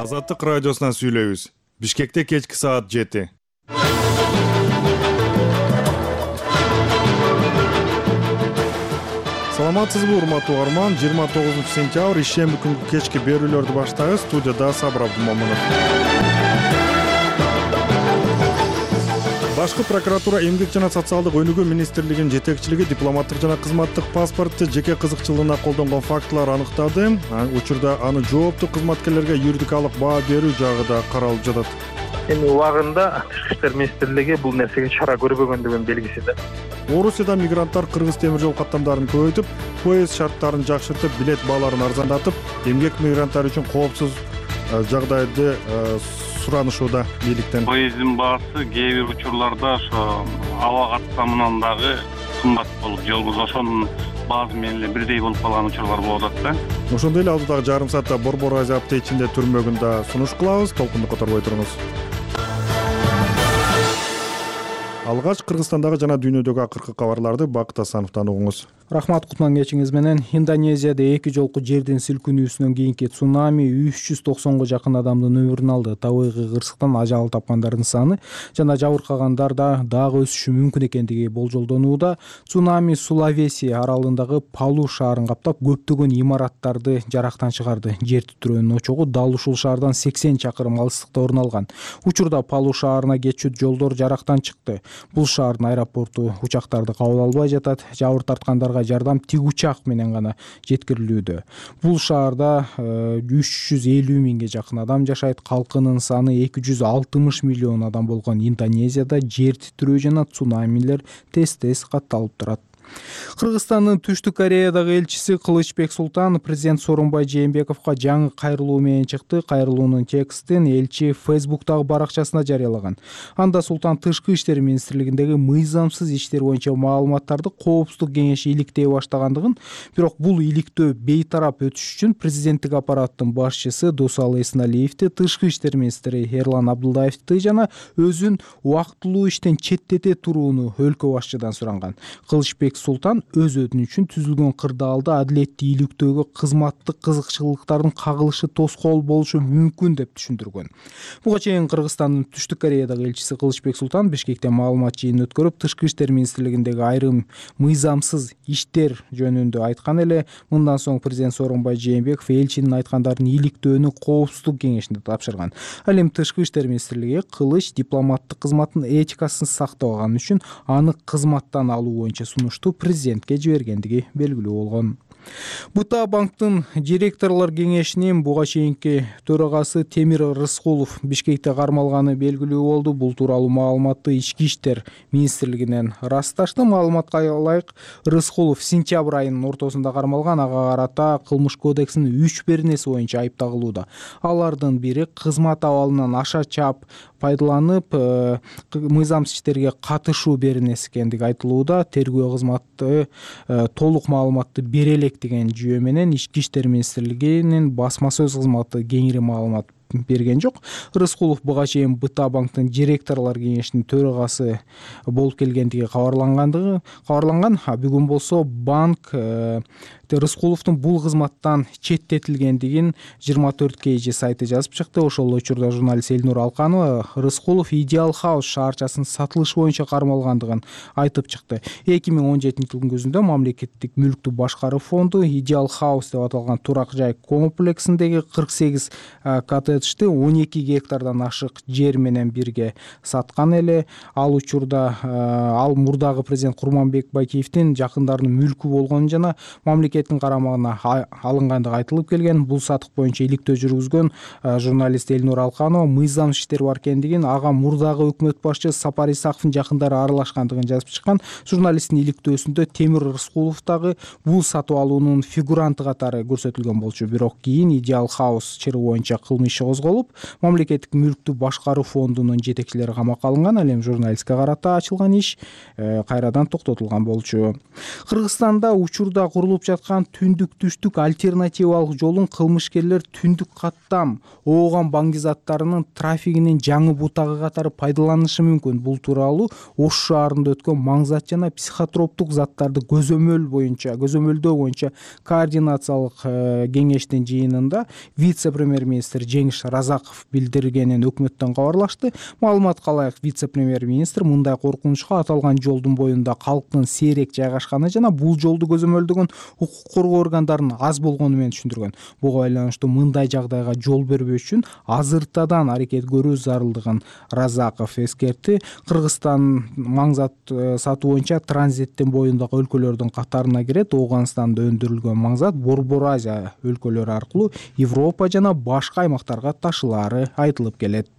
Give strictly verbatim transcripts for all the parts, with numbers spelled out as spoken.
Азаттык радиосунан сүйлөйбүз. Бишкекте кечки саат жети. Саламатсызбы, урматтуу угарман? жыйырма тогузунчу сентябрь ишемби күнгү кечки берүүлөрдү баштайбыз. Студияда Сабыр Абдумомунов. Башкы прокуратура эмгек жана социалдык өнүгүү министрлигинин жетекчилиги дипломаттык жана кызматтык паспортты жеке кызыкчылыгына колдонгон фактылар аныктады. Учурда аны жооптуу кызматкерлерге юридикалык баа берүү жагы да каралып жатат. Эми убагында Тышкы иштер министрлиги бул нерсеге чара көрбөгөндүгүнүн белгиси да. Орусияда мигранттар кыргыз темир жол каттамдарын көбөйтүп, поезд шарттарын жакшыртып, билет бааларын арзандатып, эмгек мигранттары үчүн коопсуз жагдайды суранышууда бийликтен. Поезддин баасы кээ бир учурларда ошо аба каттамынан дагы кымбат болуп жолбоз ошонун баасы менен эле бирдей болуп калган учурлар болуп атат да. Ошондой эле алдыдагы жарым саатта Борбор Азия апте түрмөгүн да сунуш кылабыз. Толкунду которбой туруңуз. Алгач Кыргызстандагы жана дүйнөдөгү акыркы кабарларды Бакыт Асановдон угуңуз. Рахмат, кутман кечиңиз менен. Индонезияда эки жолку жердин силкинүүсүнөн кийинки цунами үч жүз токсонго жакын адамдын өмүрүн алды. Табигый кырсыктан ажал тапкандардын саны жана жабыркагандар да дагы өсүшү мүмкүн экендиги болжолдонууда. Цунами Сулавеси аралындагы Палу шаарын каптап, көптөгөн имараттарды жарактан чыгарды. Жер титирөөнүн очогу дал ушул шаардан сексен чакырым алыстыкта орун алган. Учурда Палу шаарына кетчү жолдор жарактан чыкты. Бул шаардын аэропорту учактарды кабыл албай жатат. Жабыр тарткандарга жардам тик учак менен гана жеткирилүүдө. Бул шаарда үч жүз элүү миңге жакын адам жашайт. Калкынын саны эки жүз алтымыш миллион адам болгон Индонезияда жер титирөө жана цунамилер тез-тез катталып турат. Кыргызстандын Түштүк Кореядагы элчиси Кылычбек Султан президент Сооронбай Жээнбековго жаңы кайрылуу менен чыкты. Кайрылуунун текстин элчи Фейсбуктагы баракчасына жарыялаган. Анда Султан Тышкы иштер министрлигиндеги мыйзамсыз иштер боюнча маалыматтарды Коопсуздук кеңеши иликтей баштагандыгын, бирок бул иликтөө бейтарап өтүш үчүн президенттик аппараттын башчысы Досалы Эсеналиевди, Тышкы иштер министри Эрлан Абдулдаевди жана өзүн убактылуу иштен четтете турууну өлкө башчыдан суранган. Кылычбек Султан өз өтүнүчүн түзүлгөн кырдаалда адилеттүү иликтөөгө кызматтык кызыкчылыктардын кагылышы тоскоол болушу мүмкүн деп түшүндүргөн. Буга чейин Кыргызстандын Түштүк Кореядагы элчиси Кылычбек Султан Бишкекте маалымат жыйынын өткөрүп, Тышкы иштер министрлигиндеги айрым мыйзамсыз иштер жөнүндө айткан эле. Мындан соң президент Сооронбай Жээнбеков элчинин айткандарын иликтөөнү Коопсуздук кеңешине тапшырган. Ал эми Тышкы иштер министрлиги Кылыч дипломаттык кызматтын этикасын сактабаганы үчүн аны кызматтан алуу боюнча сунушту президентке жибергендиги белгилүү болгон. Бута банктын директорлор кеңешинин буга чейинки төрагасы Темир Рыскулов Бишкекте кармалганы белгилүү болду. Бул тууралуу маалыматты Ички иштер министрлигинен расташты. Маалыматка ылайык, Рыскулов сентябрь айынын ортосунда кармалган. Ага карата Кылмыш кодексинин үч беренеси боюнча айыпталууда. Алардын бири кызмат абалынан аша чап пайдаланып, мыйзамсыз иштерге катышуу беренеси экендиги айтылууда. Тергөө кызматы толук маалыматты бере элек деген жүйө менен Ички иштер министрлигинин басма сөз кызматы кеңири маалымат берген жок. Рыскулов буга чейин Бута банктын директорлор кеңешинин төрагасы болуп келгендиги кабарлангандыгы кабарланган. Бүгүн болсо банк Рыскуловдун бул кызматтан четтетилгендигин жыйырма төрт кей жи сайты жазып чыкты. Ошол учурда журналист Элнур Алканова Рыскулов Идеал Хаус шаарчасын сатылыш боюнча кармалгандыгын айтып чыкты. эки миң он жетинчи жылдын күзүндө мамлекеттик мүлктү башкаруу фонду Идеал Хаус деп аталган турак жай комплексиндеги кырк сегиз коттеджди он эки гектардан ашык жер менен бирге саткан эле. Ал учурда ал мурдагы президент Курманбек Байкеевдин жакындарынын мүлкү болгон жана мамлекет карамагына алынгандыгы айтылып келген. Бул сатык боюнча иликтөө жүргүзгөн журналист Элнур Алканова мыйзамсыз иштер бар экендигин, ага мурдагы өкмөт башчысы Сапар Исаковдун жакындары аралашкандыгын жазып чыккан. Журналисттин иликтөөсүндө Темир Рыскулов дагы бул сатып алуунун фигуранты катары көрсөтүлгөн болчу. Бирок кийин Идеал Хаус чыры боюнча кылмыш иши козголуп, мамлекеттик мүлктү башкаруу фондунун жетекчилери камакка алынган. Ал эми журналистке карата ачылган иш кайрадан токтотулган болчу. Кыргызстанда учурда курулуп жаткан түндүк-түштүк альтернативалык жолун кылмышкерлер түндүк каттам ооган баңгизаттарынын трафигинин жаңы бутагы катары пайдаланышы мүмкүн. Бул тууралуу Ош шаарында өткөн маңзат жана психотроптук заттарды көзөмөл боюнча көзөмөлдөө боюнча координациялык кеңештин жыйынында вице-премьер-министр Жеңиш Денеш Разаков билдиргенин өкмөттөн кабарлашты. Маалыматка ылайык, вице-премьер-министр мындай коркунучка аталган жолдун боюнда калктын сейрек жайгашканы жана бул жолду көзөмөлдөгөн укук коргоо органдарынын аз болгону менен түшүндүргөн. Буга байланыштуу мындай жагдайга жол бербеш үчүн азыртадан аракет көрүү зарылдыгын Разаков эскертти. Кыргызстан маңзат сатуу боюнча транзиттин боюндагы өлкөлөрдүн катарына кирет. Ооганстанда өндүрүлгөн маңзат Борбор Азия өлкөлөрү аркылуу Европа жана башка аймактарга ташылаары айтылып келет.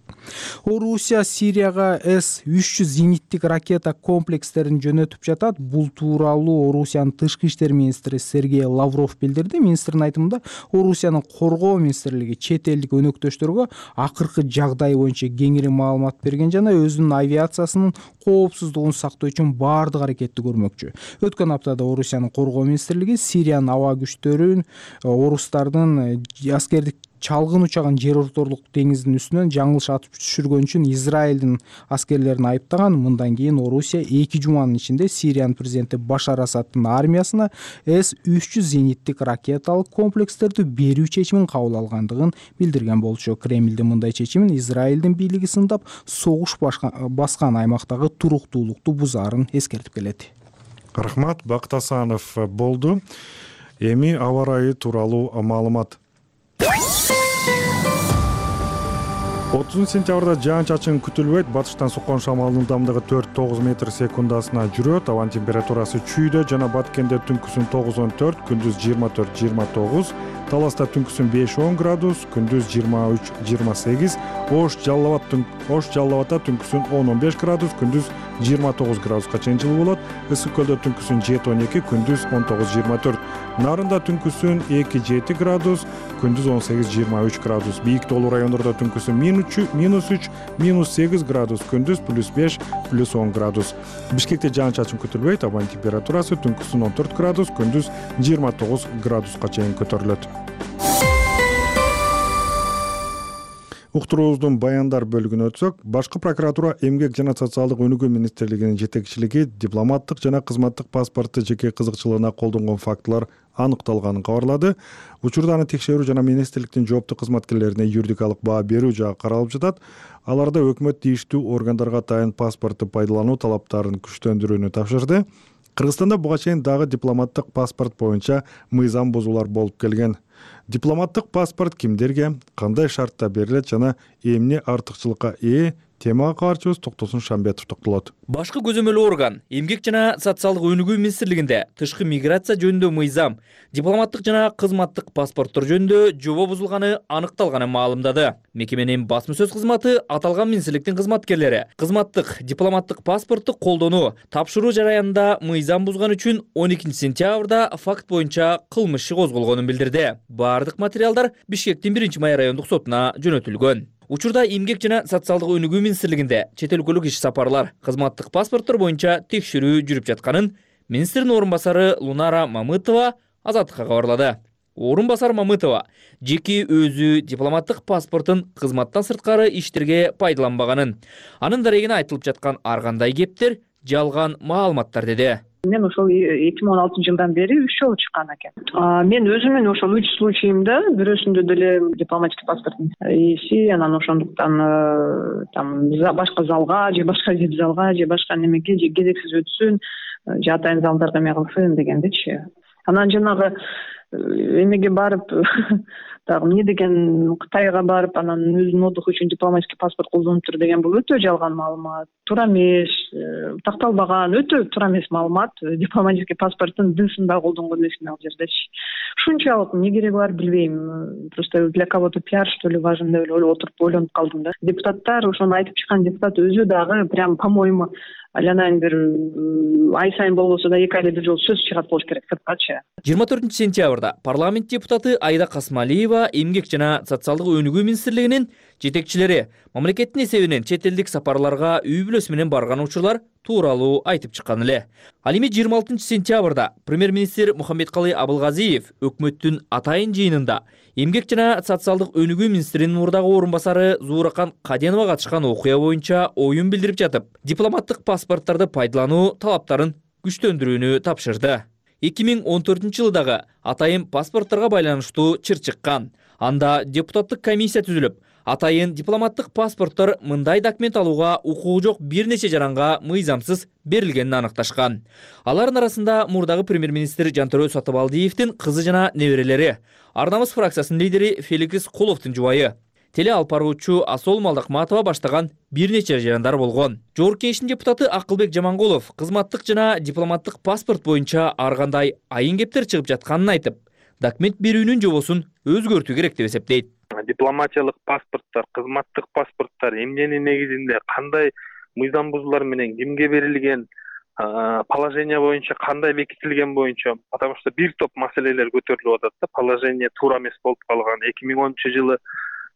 Орусия Сирияга эс үч жүз зениттик ракета комплекстерин жөнөтүп жатат. Бул тууралуу Орусиянын тышкы иштер министри Сергей Лавров билдирди. Министрдин айтымында, Орусиянын коргоо министрлиги чет элдик өнөктөштөргө акыркы жагдай боюнча кеңири маалымат берген жана өзүнүн авиациясынын коопсуздугун сактоо үчүн баардык аракетти көрмөкчү. Өткөн аптада Орусиянын коргоо министрлиги Сириянын аба күчтөрүн орустардын аскердик чалгын учагын жер орторлук деңиздин үстүнөн жаңылыш атып түшүргөн үчүн Израилдин аскерлерин айыптаган. Мындан кийин Орусия эки жуманын ичинде Сириянын президенти Башар Асаддын армиясына эс үч жүз зениттик ракеталык комплекстерди берүү чечимин кабыл алгандыгын билдирген болчу. Кремлдин мындай чечимин Израилдин бийлиги сындап, согуш баскан аймактагы туруктуулукту бузаарын эскертип келет. Рахмат, Бакыт Асанов болду. Эми аба ырайы тууралуу маалымат. отузунчу сентябрда жаан-чачын күтүлбөйт. Батыштан соккон шамалдын ылдамдыгы төрт тогуз метр секундасына жүрөт. Абанын температурасы чүйдө жана Баткенде түнкүсүн тогуз он төрт, күндүз жыйырма төрт жыйырма тогуз, Таласта түнкүсүн беш он градус, күндүз жыйырма үч жыйырма сегиз, Ош Жалал Абадта түнкүсүн он он беш градус, күндүз жыйырма тогуз градуска чейин жылуу болот. Ысык көлдө түнкүсүн жети он эки, күндүз он тогуз жыйырма төрт. Нарында түнкүсүн эки жети градус, күндүз он сегиз жыйырма үч градус. Бийик тоолуу райондордо түнкүсүн минус үч, минус сегиз градус, күндүз плюс беш, плюс он градус. Бишкекте жаан-чачын күтүлбөйт. Абанын температурасы түнкүсүн он төрт градус, күндүз жыйырма тогуз градуска чейин көтөрүлөт. Уктуруубуздун баяндар бөлүгүнө өтсөк, башкы прокуратура эмгек жана социалдык өнүгүү министрлигинин жетекчилиги дипломаттык жана кызматтык паспортты жеке кызыкчылыгына колдонгон фактылар аныкталганын кабарлады. Учурда аны текшерүү жана министрликтин жооптуу кызматкерлерине юридикалык баа берүү жагы каралып жатат. Аларда өкмөт тийиштүү органдарга атайын паспортты пайдалануу талаптарын күчтөндүрүүнү тапшырды. Кыргызстанда буга чейин дагы дипломаттык паспорт боюнча мыйзам бузуулар болуп келген. Дипломаттык паспорт кимдерге, кандай шартта берилет жана эмне артыкчылыкка ээ? Темага кабарчыбыз Токтосун Шамбетов токтолот. Башкы көзөмөлүү орган эмгек жана социалдык өнүгүү министрлигинде тышкы миграция жөнүндө мыйзам, дипломаттык жана кызматтык паспорттор жөнүндө жобо бузулганы аныкталганын маалымдады. Мекеменин басма сөз кызматы аталган министрликтин кызматкерлери кызматтык дипломаттык паспортту колдонуу, тапшыруу жараянында мыйзам бузган үчүн он экинчи сентябрда факт боюнча кылмыш иши козголгонун билдирди. Бардык материалдар Бишкектин биринчи май райондук сотуна жөнөтүлгөн. Учурда эмгек жана социалдык өнүгүү министрлигинде чет өлкөлүк иш сапарлар, кызматтык паспорттор боюнча текшерүү жүрүп жатканын министрдин орун басары Лунара Мамытова Азаттыкка кабарлады. Орун басар Мамытова жеке өзү дипломаттык паспортун кызматтан сырткары иштерге пайдаланбаганын, анын дарегине айтылып жаткан ар кандай кептер жалган маалыматтар деди. Мен ошол эки миң он алтынчы жылдан бери үч жолу чыккан экен. Мен өзүмүн ошол үч случайымда бирөөсүндө деле дипломатический паспорттун ээси, анан ошондуктан там башка залга же башка залга же башка немеге же кезексиз өтсүн, же атайын залдарга эме кылсын дегендичи. Анан жанагы эмеге барып дагы эмне деген Кытайга барып анан өзүнүн отдуху үчүн дипломатический паспорт колдонуптур деген бул өтө жалган маалымат. Туура эмес, такталбаган, өтө туура эмес маалымат. Дипломатический паспорттун дысында да колдонгон эмесмин ал жердечи. Ушунчалык эмне кереги бар билбейм. Просто для кого-то пиар что ли важен деп эле отуруп ойлонуп калдым да. Депутаттар, ошону айтып чыккан депутат өзү дагы прям по-моему алянайын бир ай сайын болбосо да эки айда бир жолу сөз чыгат болуш керек сырткачы. жыйырма төртүнчү сентябрда парламент депутаты Айда Касмалиева эмгек жана социалдык өнүгүү министрлигинин жетекчилери мамлекеттин эсебинен чет элдик сапарларга үй бүлөсү менен барган учурлар тууралуу айтып чыккан эле. Ал эми жыйырма алтынчы сентябрда премьер-министр Мухаммедкалый Абылгазиев өкмөттүн атайын жыйынында эмгек жана социалдык өнүгүү министринин мурдагы орун басары Зууракан Каденова катышкан окуя боюнча оюн билдирип жатып, дипломаттык паспорттарды пайдалануу талаптарын күчтөндүрүүнү тапшырды. эки миң он төртүнчү жылдагы атайын паспортторго байланыштуу чыр чыккан. Анда депутаттык комиссия түзүлүп, атайын дипломаттык паспорттор мындай документ алууга укугу жок бир нече жаранга мыйзамсыз берилгенин аныкташкан. Алардын арасында мурдагы премьер-министр Жантөрө Сатыбалдиевдин кызы жана неберелери, Ар намыс фракциясынын лидери Феликс Куловдун жубайы, теле алып баруучу Асол Малдакматова баштаган бир нече жарандар болгон. Жогорку Кеңештин депутаты Акылбек Жамангулов кызматтык жана дипломаттык паспорт боюнча ар кандай айын кептер чыгып жатканын айтып, документ берүүнүн жобосун өзгөртүү керек деп эсептейт. Дипломатиялык паспорттор, кызматтык паспорттор эмненин негизинде кандай мыйзам бузуулар менен кимге берилген, положение боюнча кандай бекитилген боюнча, потому что бир топ маселелер көтөрүлүп атат да. Положение туура эмес болуп калган. эки миң онунчу жылы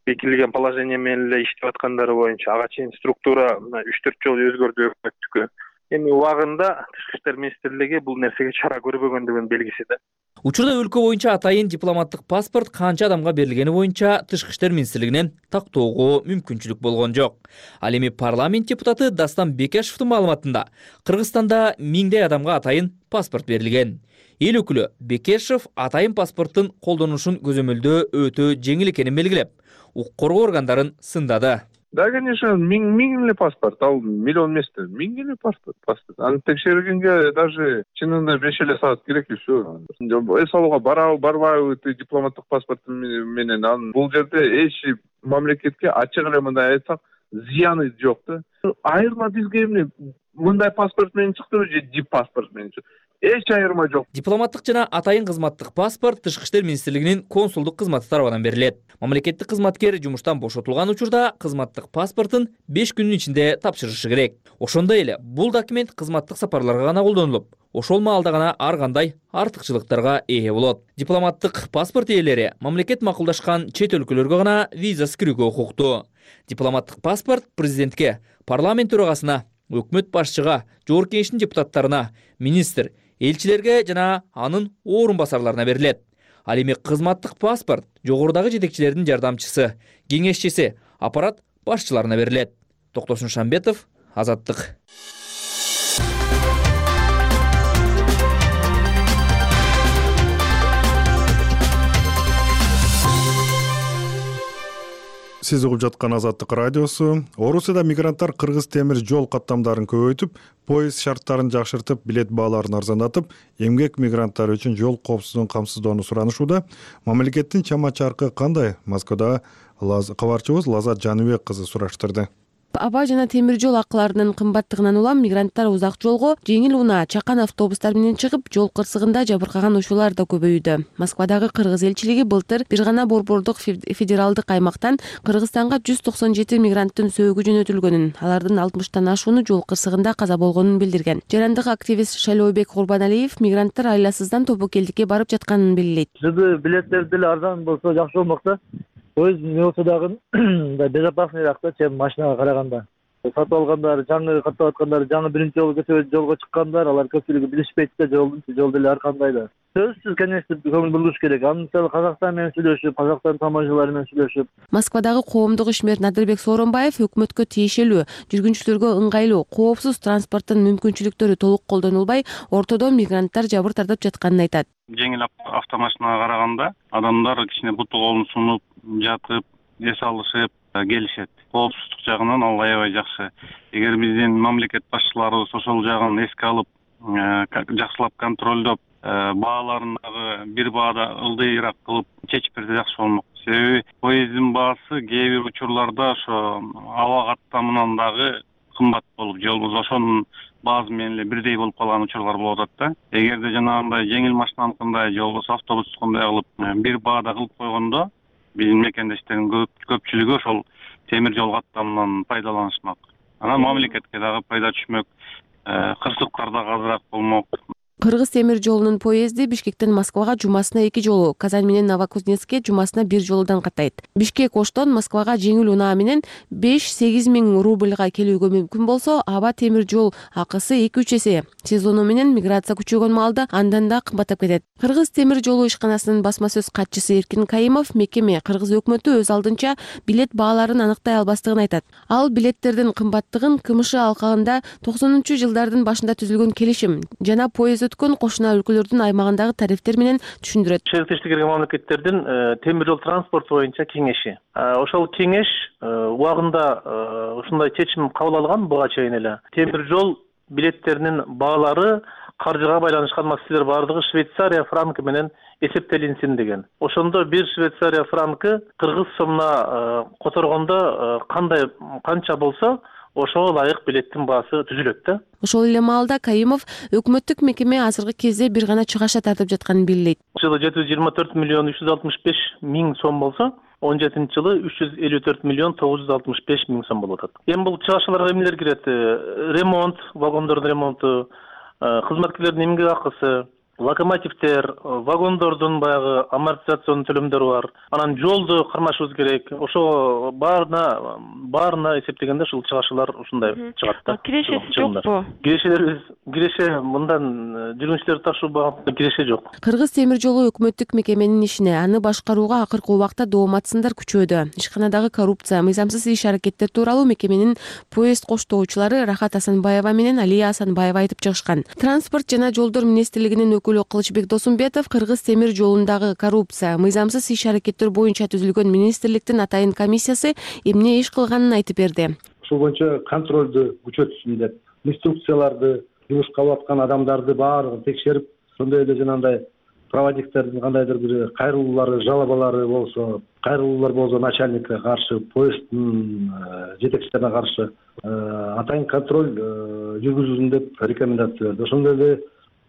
бекитилген положение менен эле иштеп аткандары боюнча ага чейин структура үч төрт жолу өзгөрдү өкмөттүкү. Эми убагында Тышкы иштер министрлиги бул нерсеге чара көрбөгөндүгүнүн белгиси да. Учурда өлкө боюнча атайын дипломаттык паспорт канча адамга берилгени боюнча Тышкы иштер министрлигинен тактоого мүмкүнчүлүк болгон жок. Ал эми парламент депутаты Дастан Бекешевдин маалыматында Кыргызстанда миңдей адамга атайын паспорт берилген. Эл өкүлү Бекешев атайын паспорттун колдонушун көзөмөлдөө өтө жеңил экенин белгилеп, укук коргоо органдарын сындады. Да, конечно, миң миң эле паспорт, ал миллион эмес да, миң эле паспорт, паспорт. Аны текшергенге даже чынында беш эле саат керек и все. Эс алууга барабы, барбайбы дипломаттык паспорт менен, анын бул жерде эч мамлекетке ачык эле мындай айтсак, зыяны жок да. Айырма бизге эмне мындай паспорт менен чыктыбы же дип паспорт менен чыкты? Эч айырма жок. Дипломаттык жана атайын кызматтык паспорт Тышкы иштер министрлигинин консулдук кызматы тарабынан берилет. Мамлекеттик кызматкер жумуштан бошотулган учурда кызматтык паспортун беш күндүн ичинде тапшырышы керек. Ошондой эле бул документ кызматтык сапарларга гана колдонулуп, ошол маалда гана ар кандай артыкчылыктарга ээ болот. Дипломаттык паспорт ээлери мамлекет макулдашкан чет өлкөлөргө гана виза кирүүгө укуктуу. Дипломаттык паспорт президентке, парламент төрагасына, өкмөт башчыга, Жогорку Кеңештин депутаттарына, министр, элчилерге жана анын орун басарларына берилет. Ал эми кызматтык паспорт жогорудагы жетекчилердин жардамчысы, кеңешчиси, аппарат башчыларына берилет. Токтосун Шамбетов, Азаттык. Сиз угуп жаткан Азаттык радиосу. Орусияда мигранттар кыргыз темир жол каттамдарын көбөйтүп, поезд шарттарын жакшыртып, билет бааларын арзандатып, эмгек мигранттары үчүн жол коопсуздугун камсыздоону суранышууда. Мамлекеттин чама-чаркы кандай? Москвада кабарчыбыз Лазат Жаныбек кызы сураштырды. Аба жана темир жол акыларынын кымбаттыгынан улам мигранттар узак жолго жеңил унаа чакан автобустар менен чыгып, жол кырсыгында жабыркаган учурлар да көбөйүүдө. Москвадагы кыргыз элчилиги былтыр бир гана борбордук федералдык аймактан Кыргызстанга жүз токсон жети мигранттын сөөгү жөнөтүлгөнүн, алардын алтымыштан ашууну жол кырсыгында каза болгонун билдирген. Жарандык активист Шайлообек Курбаналиев мигранттар айласыздан Тобокелдикке барып жатканын белгилейт. Жыды билеттер деле арзан болсо жакшы болмок да. Поезд не болсо дагы безопаснийраак да, чем машинага караганда. Сатып алгандар, жаңы каттап аткандар, жаңы биринчи жолу көчөгө жолго чыккандар, алар көпчүлүгү билишпейт да жолдун, жол деле ар кандай да. Сөзсүз, конечно, көңүл бурулуш керек. Аны мисалы Казакстан менен сүйлөшүп, Казакстан тамашалары менен сүйлөшүп. Москвадагы коомдук ишмер Надырбек Сооронбаев өкмөткө тиешелүү, жүргүнчүлөргө ыңгайлуу, коопсуз транспорттун мүмкүнчүлүктөрү толук колдонулбай, ортодо мигранттар жабыр тартып жатканын айтат. Жеңил автомашинага караганда адамдар кичине буту колун сунуп, жатып, эс алышып келишет. Коопсуздук жагынан ал аябай жакшы. Эгер биздин мамлекет башчыларыбыз ошол жагын эске алып, жакшылап контролдоп, бааларын дагы бир баада ылдыйраак кылып чечип берсе жакшы болмок. Себеби поезддин баасы кээ бир учурларда ошо аба каттамынан дагы кымбат болуп, же болбосо ошонун баасы менен эле бирдей болуп калган учурлар болуп атат да. Эгерде жанагындай жеңил машинаныкындай же болбосо автобустукундай кылып бир баада кылып койгондо биздин мекендештердин көпчүлүгү ошол темир жол каттамынан пайдаланышмак. Анан мамлекетке дагы пайда түшмөк, кырсыктар дагы азыраак болмок. Кыргыз темир жолунун поезди Бишкектен Москвага жумасына эки жолу, Казань менен Новокузнецкке жумасына бир жолудан каттайт. Бишкек Оштон Москвага жеңил унаа менен беш-сегиз миң рубльга келүүгө мүмкүн болсо, аба темир жол акысы эки-үч эсе. Сезону менен миграция күчөгөн маалда андан да кымбаттап кетет. Кыргыз темир жолу ишканасынын басма сөз катчысы Эркин Кайымов мекеме Кыргыз өкмөтү өз алдынча билет бааларын аныктай албастыгын айтат. Ал билеттердин кымбаттыгын КМШ алкагында токсонунчу жылдардын башында түзүлгөн келишим жана поезд өткөн кошуна өлкөлөрдүн аймагындагы тарифтер менен түшүндүрөт. Шериктештикке кирген мамлекеттердин темир жол транспорту боюнча кеңеши. Ошол кеңеш убагында ушундай чечим кабыл алган буга чейин эле. Темир жол билеттеринин баалары каржыга байланышкан маселелер баардыгы Швейцария франкы менен эсептелинсин деген. Ошондо бир Швейцария франкы кыргыз сомуна которгондо кандай канча болсо ошого ылайык билеттин баасы түзүлөт да. Ошол эле маалда Кайымов өкмөттүк мекеме азыркы кезде бир гана чыгаша тартып жатканын белгилейт. Жылы жети жүз жыйырма төрт миллион үч жүз алтымыш беш миң сом болсо, он жетинчи жылы үч жүз элүү төрт миллион тогуз жүз алтымыш беш миң сом болуп атат. Эми бул чыгашаларга эмнелер кирет? Ремонт, вагондордун ремонту, кызматкерлердин эмгек акысы, локомотивдер, вагондордун баягы амортизацион төлөмдөрү бар. Анан жолду кармашыбыз керек. Ошо баарына баарына эсептегенде ушул чыгашалар ушундай чыгат да. Кирешеси жокпу? Кирешелерибиз киреше мындан жүргүнчүлөрдү ташуу багытында киреше жок. Кыргыз темир жолу өкмөттүк мекеменин ишине, аны башкарууга акыркы убакта доомат-сындар күчөдү. Ишканадагы коррупция, мыйзамсыз иш-аракеттер тууралуу мекеменин поезд коштоочулары Рахат Асанбаева менен Алия Асанбаева айтып чыгышкан. Транспорт жана жолдор министрлигинин өкүлү Кылычбек Досумбетов Кыргыз темир жолундагы коррупция, мыйзамсыз иш-аракеттер боюнча түзүлгөн министрликтин атайын комиссиясы эмне иш кылганын айтып берди. Ушул боюнча контролду күчөтүшүн деп, инструкцияларды, жумушка алып аткан адамдарды баарын текшерип, ошондой эле жанагындай проводниктердин кандайдыр бир кайрылуулары, жалобалары болсо, кайрылуулар болсо начальникке каршы, поезддин жетекчилерине каршы атайын контроль жүргүзүлсүн деп рекомендация берди. Ошондой эле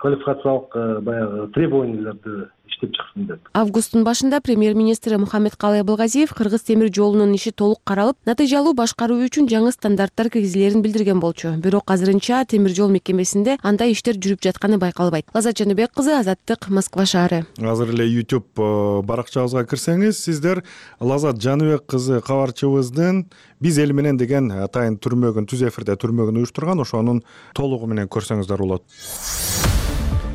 квалификациялык баягы требованияларды иштеп чыксын деп. Августтун башында премьер-министри Мухаммедкалый Абылгазиев Кыргыз темир жолунун иши толук каралып, натыйжалуу башкаруу үчүн жаңы стандарттар киргизилерин билдирген болчу. Бирок азырынча темир жол мекемесинде андай иштер жүрүп жатканы байкалбайт. Лаззат Жаныбек кызы, Азаттык, Москва шаары. Азыр эле YouTube баракчабызга кирсеңиз, сиздер Лаззат Жаныбек кызы кабарчыбыздын Биз эл менен деген атайын түрмөгүн, түз эфирде түрмөгүн уюштурган, ошонун толугу менен көрсөңүздөр болот.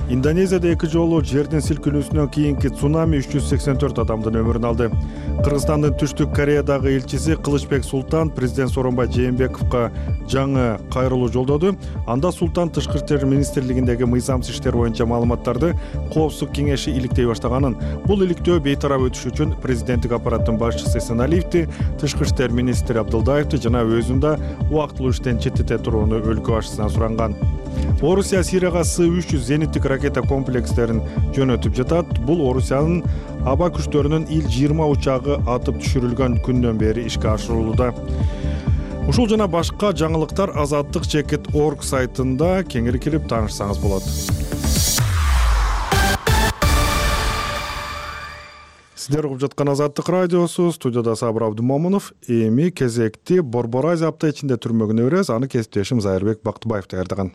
Индонезияда эки жолу жердин силкинүүсүнөн кийинки цунами үч жүз сексен төрт адамдын өмүрүн алды. Кыргызстандын Түштүк Кореядагы элчиси Кылычбек Султан президент Сооронбай Жээнбековго жаңы кайрылуу жолдоду. Анда Султан тышкы иштер министрлигиндеги мыйзамсыз иштер боюнча маалыматтарды Коопсуздук кеңеши иликтей баштаганын, бул иликтөө бейтарап өтүш үчүн президенттик аппараттын башчысы Эсеналиевди, тышкы иштер министри Абдылдаевди жана өзүн да убактылуу иштен четтете турууну өлкө башчысынан суранган. Орусия Сирияга С үч жүз зениттик ракета комплекстерин жөнөтүп жатат. Бул Орусиянын аба күчтөрүнүн Ил жыйырма учагы атып түшүрүлгөн күндөн бери ишке ашырылууда. Ушул жана башка жаңылыктар азаттык чекит точка орг сайтында кеңири кирип таанышсаңыз болот. Сиздер угуп жаткан Азаттык радиосу, студияда Сабыр Абдымомунов. Эми кезекти Борбор Азия апта ичинде түрмөгүнө беребиз. Аны кесиптешим Зайырбек Бактыбаев даярдаган.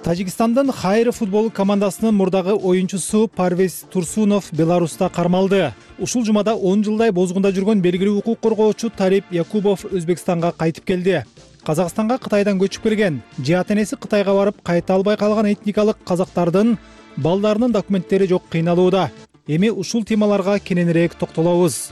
Тажикстандын Хайры футбол командасынын мурдагы оюнчусу Парвез Турсунов Беларуста кармалды. Ушул жумада он жылдай бозгунда жүргөн белгилүү укук коргоочу Талип Якубов Өзбекстанга кайтып келди. Казакстанга Кытайдан көчүп келген, же ата-энеси Кытайга барып кайта албай калган этникалык казактардын балдарынын документтери жок кыйналууда. Эми ушул темаларга кененирээк токтолобуз.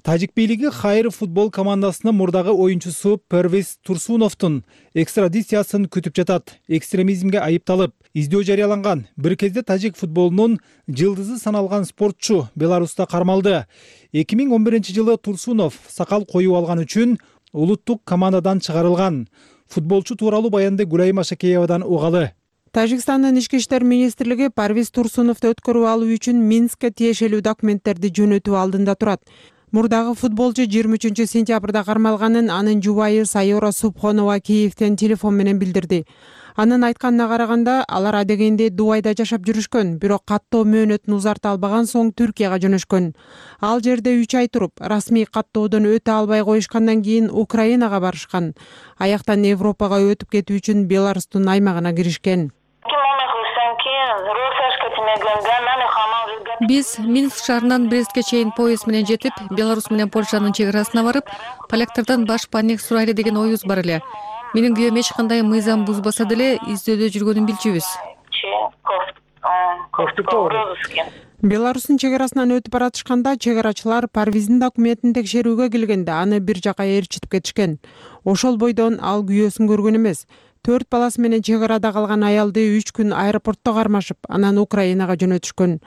Тажик бийлиги Хайры футбол командасынын мурдагы оюнчусу Парвез Турсуновдун экстрадициясын күтүп жатат. Экстремизмге айыпталып, издөө жарыяланган. Бир кезде тажик футболунун жылдызы саналган спортчу Беларуста кармалды. эки миң он биринчи жылы Турсунов сакал коюп алган үчүн улуттук командадан чыгарылган. Футболчу тууралуу баянды Гүлайым Ашакеевадан угалы. Тажикстандын ички иштер министрлиги Парвез Турсуновду өткөрүп алуу үчүн Минскке тиешелүү документтерди жөнөтүү алдында турат. Мурдагы футболчу жыйырма үчүнчү сентябрда кармалганын анын жубайы Сайора Субхонова Киевден телефон менен билдирди. Анын айтканына караганда, алар адегенде Дубайда жашап жүрүшкөн, бирок каттоо мөөнөтүн узарта албаган соң Түркияга жөнөшкөн. Ал жерде үч ай туруп, расмий каттоодон өтө албай коюшкандан кийин Украинага барышкан. Аяктан Европага өтүп кетүү үчүн Беларустун аймагына киришкен. Биз Минск шаарынан Брестке чейин поезд менен жетип, Беларусь менен Польшанын чек арасына барып, поляктардан баш паник сурайлы деген оюбуз бар эле. Менин күйөөм эч кандай мыйзам бузбаса деле издөөдө жүргөнүн билчүбүз. Беларустун чек арасынан өтүп баратышканда чек арачылар Парвиздин документин текшерүүгө келгенде аны бир жака ээрчитип кетишкен. Ошол бойдон ал күйөөсүн көргөн эмес. Төрт баласы менен чек арада калган аялды үч күн аэропортто кармашып, анан Украинага жөнөтүшкөн.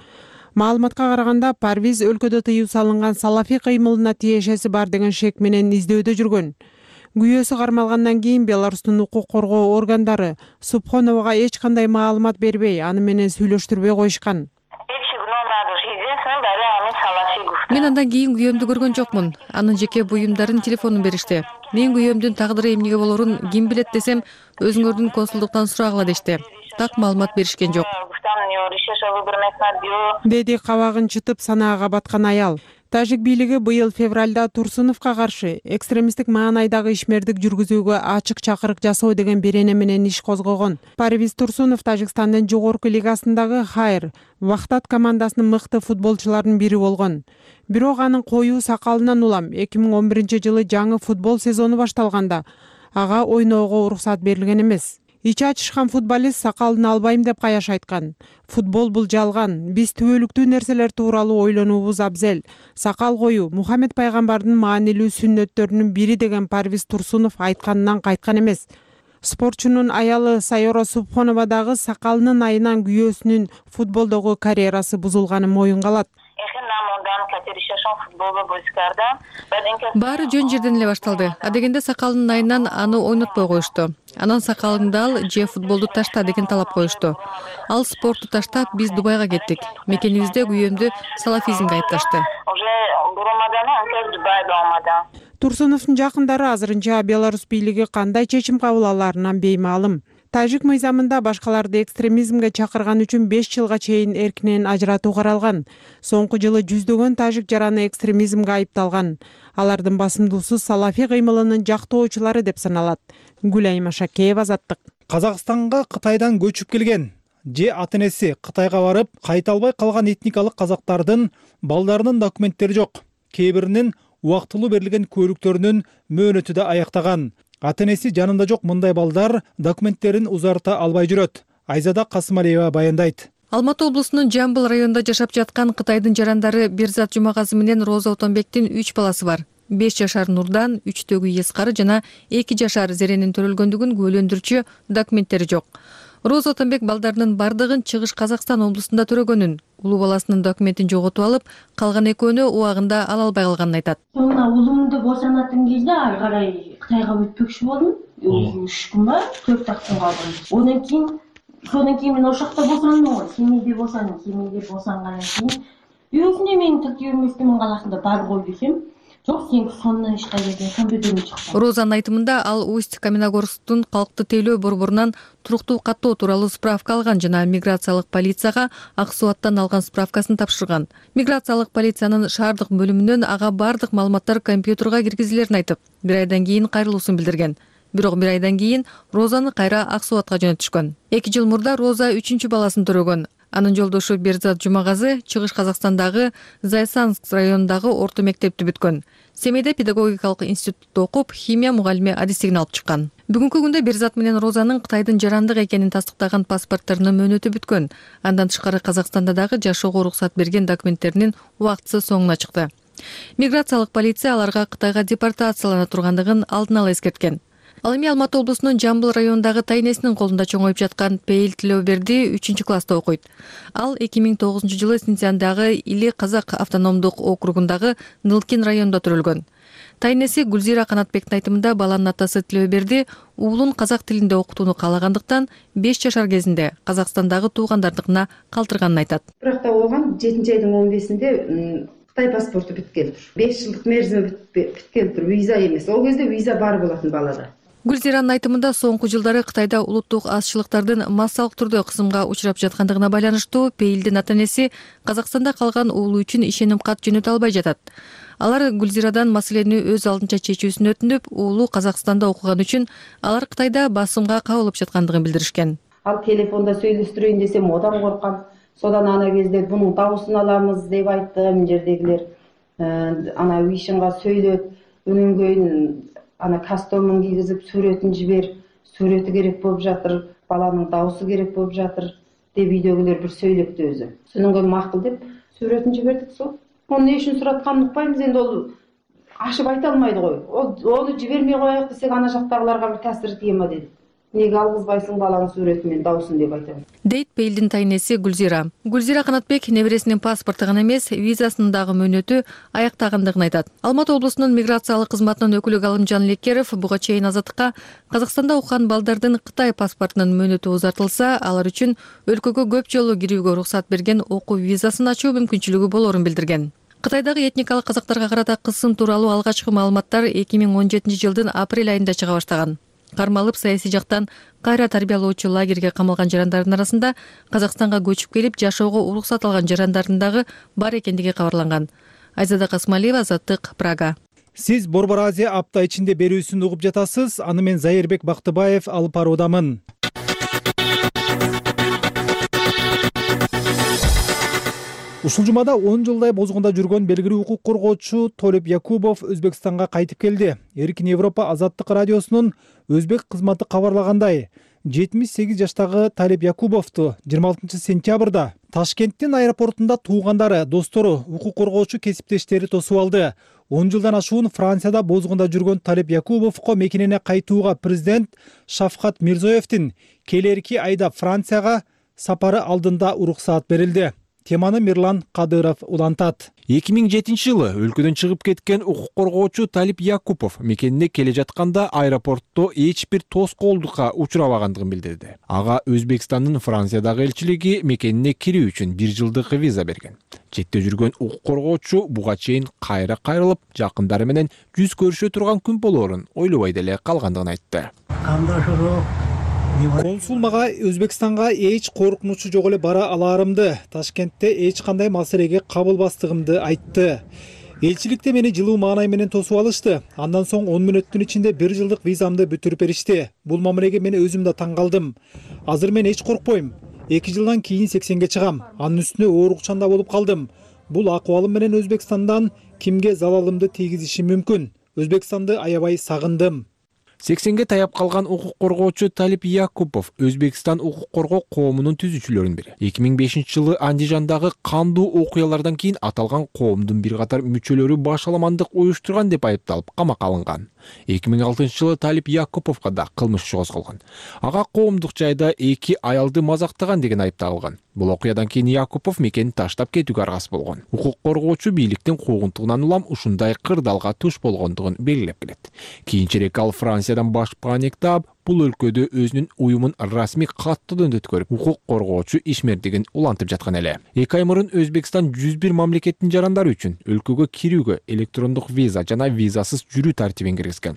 Маалыматка караганда, Парвиз өлкөдө тыюу салынган салафий кыймылына тиешеси бар деген шек менен издөөдө жүргөн. Күйөөсү кармалгандан кийин Беларустун укук коргоо органдары Субхоновага эч кандай маалымат бербей, аны менен сүйлөштүрбөй коюшкан. Мен андан кийин күйөөмдү көргөн жокмун. Анын жеке буюмдарын телефонун беришти. Мен күйөөмдүн тагдыры эмнеге болорун ким билет десем, өзүңөрдүн консулдуктан сурагыла дешти. Так маалымат беришкен жок. Деди кабагын чытып санаага баткан аял. Тажик бийлиги быйыл февралда Турсуновго каршы экстремисттик маанайдагы ишмердик жүргүзүүгө ачык чакырык жасоо деген берене менен иш козгогон. Парвиз Турсунов Тажикстандын жогорку лигасындагы Хайр, Вахтат командасынын мыкты футболчуларынын бири болгон. Бирок анын коюу сакалынан улам эки миң он биринчи жылы жаңы футбол сезону башталганда ага ойноого уруксат берилген эмес. Ичи ачышкан футболист сакалын албайм деп каяш айткан. Футбол бул жалган. Биз түбөлүктүү нерселер тууралуу ойлонуубуз абзел. Сакал коюу Мухаммед пайгамбардын маанилүү сүннөттөрүнүн бири деген Парвиз Турсунов айтканынан кайткан эмес. Спортчунун аялы Сайора Субхонова дагы сакалынын айынан күйөөсүнүн футболдогу карьерасы бузулганын моюнга алат. Баары жөн жерден эле башталды. Адегенде сакалынын айынан аны ойнотпой коюшту. Анан сакалыңды ал же футболду ташта деген талап коюшту. Ал спортту таштап, биз Дубайга кеттик. Мекенибизде күйөөмдү салафизмге айыпташты. Турсуновдун жакындары азырынча Беларусь бийлиги кандай чечим кабыл аларынан беймаалым. Тажик мыйзамында башкаларды экстремизмге чакырган үчүн беш жылга чейин эркинен ажыратуу каралган. Соңку жылы жүздөгөн тажик жараны экстремизмге айыпталган. Алардын басымдуусу салафий кыймылынын жактоочулары деп саналат. Гүлайым Ашакеева, Азаттык. Казакстанга Кытайдан көчүп келген же ата-энеси Кытайга барып кайта албай калган этникалык казактардын балдарынын документтери жок. Кээ биринин убактылуу берилген көлүктөрүнүн мөөнөтү да аяктаган. Ата-энеси жанында жок мындай балдар документтерин узарта албай жүрөт. Айзада Касымалиева баяндайт. Алматы облусунун Жамбыл районунда жашап жаткан Кытайдын жарандары Берзат Жумагазы менен Роза Отонбектин үч баласы бар. беш жашар Нурдан, үчтөгү Ескары жана эки жашар Зеренин төрөлгөндүгүн күбөлөндүрчү документтери жок. Роза Отонбек балдарынын бардыгын Чыгыш Казакстан облусунда төрөгөнүн, улуу баласынын документин жоготуп алып, калган экөөнү убагында ала албай калганын айтат. Мына улумду босонатын кезде ары карай Кытайга өтпөкчү болдум. үч күн ба, төрт күн калдым. Одан кийин Содан кийин мен ошакта босондум го, семейде босондум, семейде босонгандан кийин өзүнө менин тиркөө эместимин каласында бар кой десем, жок, сен сонун ишке келген, компьютерден чыкты. Розанын айтымында ал Усть-Каменогорсктун калкты тейлөө борборунан туруктуу каттоо тууралуу справка алган жана миграциялык полицияга Ак Суаттан алган справкасын тапшырган. Миграциялык полициянын шаардык бөлүмүнөн ага бардык маалыматтар компьютерге киргизилерин айтып, бир айдан кийин кайрылуусун билдирген. Бирок бир айдан кийин Розаны кайра Ак Суатка жөнөтүшкөн. эки жыл мурда Роза үчүнчү баласын төрөгөн. Анын жолдошу Берзат Жумагазы Чыгыш Казакстандагы Зайсанск районундагы орто мектепти бүткөн. Семейде педагогикалык институтта окуп, химия мугалими адистигин алып чыккан. Бүгүнкү күндө Берзат менен Розанын Кытайдын жарандык экенин тастыктаган паспортторунун мөөнөтү бүткөн. Андан тышкары Казакстанда дагы жашоого уруксат берген документтеринин убактысы соңуна чыкты. Миграциялык полиция аларга Кытайга депортациялана тургандыгын алдын ала эскерткен. Ал эми Алматы облусунун Жамбыл районундагы тайнесинин колунда чоңоюп жаткан Пейил Тилөөберди үчүнчү класста окуйт. Ал эки миң тогузунчу жылы Синцяндагы Или Казак автономдук округундагы Нылкин районунда төрөлгөн. Тайнеси Гүлзира Канатбектин айтымында баланын атасы Тилөөберди уулун казак тилинде окутууну каалагандыктан беш жашар кезинде Казакстандагы туугандардыкына калтырганын айтат. Бирок да болгон жетинчи айдын он бешинде Кытай паспорту бүткөн. беш жылдык мерзими бүткөн, виза эмес. Ол кезде виза бар болотун балада. Гүлзиранын айтымында соңку жылдары Кытайда улуттук азчылыктардын массалык түрдө кысымга учурап жаткандыгына байланыштуу Пейилдин ата-энеси Казакстанда калган уулу үчүн ишеним кат жөнөтө албай жатат. Алар Гүлзирадан маселени өз алдынча чечүүсүн өтүнүп, уулу Казакстанда окуган үчүн алар Кытайда басымга кабылып жаткандыгын билдиришкен. Ал телефонда сүйлөштүрөйүн десем, одан коркам. Содан ана кезде бунун даусын аламыз деп айтты мына жердегилер. Ана Вишинга сөйлөт, өнөн кийин ана костюмун кийгизип сүрөтүн жибер, сүрөтү керек болуп жатыр, баланын даусы керек болуп жатыр. деп үйдөгүлөр бир сөйлөптү өзү. Сонун кийин макул деп сүрөтүн жибердик сол. Onu ne үшін сұратқанын ұқпаймыз, енді ол ашып айта алмайды ғой. Ол оны жібермей қояйық десек, ана жақтағыларға бір тәсір тие ма деді. Неге алғызбайсың баланың суреті мен даусын деп айтамын. Дейт Бейлдин тайнеси Гүлзира. Гүлзира Канатбек небересинин паспорты гана эмес, визасынын дагы мөөнөтү аяктагандыгын айтат. Алматы облусунун миграциялык кызматынын өкүлү Галымжан Лекеров буга чейин Азаттыкка Казакстанда окуган балдардын Кытай паспортунун мөөнөтү узартылса, алар үчүн өлкөгө көп жолу кирүүгө уруксат берген окуу визасын ачуу мүмкүнчүлүгү болорун билдирген. Кытайдагы этникалык казактарга карата кысым тууралуу алгачкы маалыматтар эки миң он жетинчи жылдын апрель айында чыга баштаган. Кармалып саясий жактан кайра тарбиялоочу лагерге камалган жарандардын арасында Казакстанга көчүп келип жашоого уруксат алган жарандардын дагы бар экендиги кабарланган. Айзада Касмалиева, Азаттык, Прага. Сиз Борбор Азия апта ичинде берүүсүн угуп жатасыз. Аны мен Зайырбек Бактыбаев алып баруудамын. Ушул жумада он жылдай бозгунда жүргөн белгилүү укук коргоочу Толеп Якубов Өзбекстанга кайтып келди. Эркин Европа Азаттык радиосунун өзбек кызматы кабарлагандай, жетимиш сегиз жаштагы Толеп Якубовду жыйырма алтынчы сентябрда Ташкенттин аэропортунда туугандары, достору, укук коргоочу кесиптештери тосуп алды. он жылдан ашуун Францияда бозгунда жүргөн Толеп Якубовго мекенене кайтууга президент Шавкат Мирзоевдин келерки айда Францияга сапары алдында уруксаат берилди. Теманы Мирлан Кадыров улантат. эки миң жетинчи жылы өлкөдөн чыгып кеткен укук коргоочу Толеп Якубов мекенине келе жатканда аэропортто эч бир тоскоолдукка учурабагандыгын билдирди. Ага Өзбекстандын Франциядагы элчилиги мекенине кирүү үчүн бир жылдык виза берген. Четте жүргөн укук коргоочу буга чейин кайра кайрылып, жакындары менен жүз көрүшө турган күн болоорун ойлобой деле калгандыгын айтты. Консул мага Өзбекстанга эч коркунучу жок эле бара алаарымды, Ташкентте эч кандай маселеге кабылбастыгымды айтты. Элчиликте мени жылуу маанай менен тосуп алышты. Андан соң он мүнөттүн ичинде бир жылдык визамды бүтүрүп беришти. Бул мамилеге мен өзүм да таң калдым. Азыр мен эч коркпойм. эки жылдан кийин сексенге чыгам. Анын үстүнө оорукчанда болуп калдым. Бул акыбалым менен Өзбекстандан кимге залалымды тийгизиши мүмкүн. Өзбекстанды аябай сагындым. сексенге таяп калган укук коргоочу Толеп Якубов Өзбекстан укук коргоо коомунун түзүүчүлөрүнүн бири. эки миң бешинчи жылы Андижандагы кандуу окуялардан кийин аталган коомдун бир катар мүчөлөрү башаламандык уюштурган деп айыпталып камакка алынган. эки миң алтынчы жылы Толеп Якубовго да кылмыш иши козголгон. Ага коомдук жайда эки аялды мазактаган деген айып тагылган. Бул окуядан кийин Якубов мекенин таштап кетүүгө аргасыз болгон. Укук коргоочу бийликтин куугунтугунан улам ушундай кырдаалга туш болгондугун белгилеп келет. Кийинчерээк ал Франциядан баш паниктап, бул өлкөдө өзүнүн уюмун расмий каттоодон өткөрүп, укук коргоочу ишмердигин улантып жаткан эле. эки ай мурун Өзбекстан жүз бир мамлекеттин жарандары үчүн өлкөгө кирүүгө электрондук виза жана визасыз жүрүү тартибин киргизген.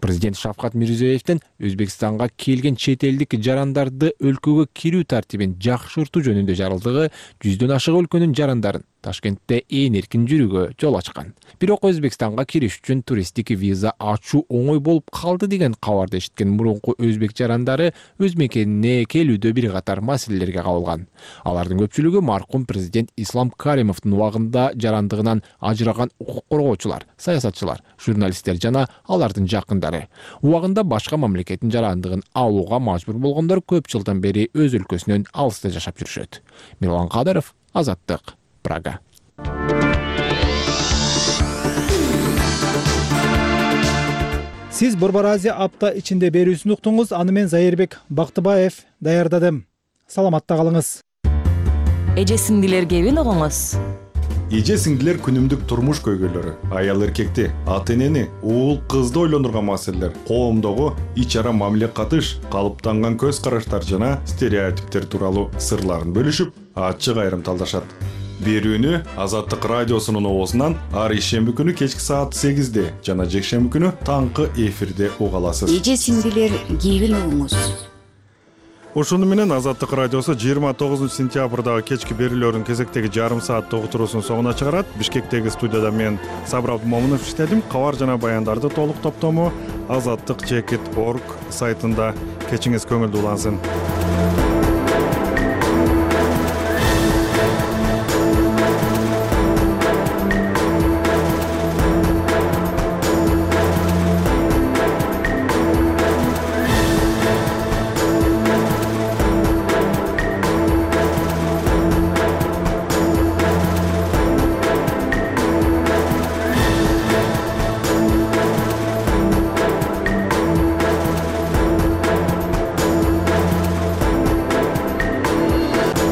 Президент Шавкат Мирзиёевдин Өзбекстанга келген чет элдик жарандарды өлкөгө кирүү тартибин жакшыртуу жөнүндө жарылдыгы жүздөн ашык өлкөнүн жарандарын Ташкентте ээн эркин жүрүүгө жол ачкан. Бирок Өзбекстанга кириш үчүн туристтик виза ачуу оңой болуп калды деген кабарды эшиткен мурунку өзбек жарандары өз мекенине келүүдө бир катар маселелерге кабылган. Алардын көпчүлүгү маркум президент Ислам Каримовдун убагында жарандыгынан ажыраган укук коргоочулар, саясатчылар, журналисттер жана алардын жакындары. Убагында башка мамлекеттин жарандыгын алууга мажбур болгондор көп жылдан бери өз өлкөсүнөн алыста жашап жүрүшөт. Мирлан Кадыров, Азаттык, Прага. Сиз Борбор Азия апта ичинде берүүсүн уктуңуз. Аны мен Зайырбек Бактыбаев даярдадым. Саламатта калыңыз. Эже сиңдилер кебин угуңуз. Эже сиңдилер күнүмдүк турмуш көйгөйлөрү, аял эркекти, ата энени, уул кызды ойлондурган маселелер, коомдогу ич ара мамиле катыш, калыптанган көз караштар жана стереотиптер тууралуу сырларын бөлүшүп, ачык айрымталдашат. Берүүнү Азаттык радиосунун оозунан ар ишемби күнү кечки саат сегизде жана жекшемби күнү таңкы эфирде уга аласыз. Эже сиңдилер кебин угуңуз. Ошону менен Азаттык радиосу жыйырма тогузунчу сентябрдагы кечки берүүлөрүн кезектеги жарым саат уктуруусун соңуна чыгарат. Бишкектеги студияда мен Сабыр Абдымомунов иштедим. Кабар жана баяндарды толук топтому азаттык чекит точка орг сайтында. Кечиңиз көңүлдүү улансын.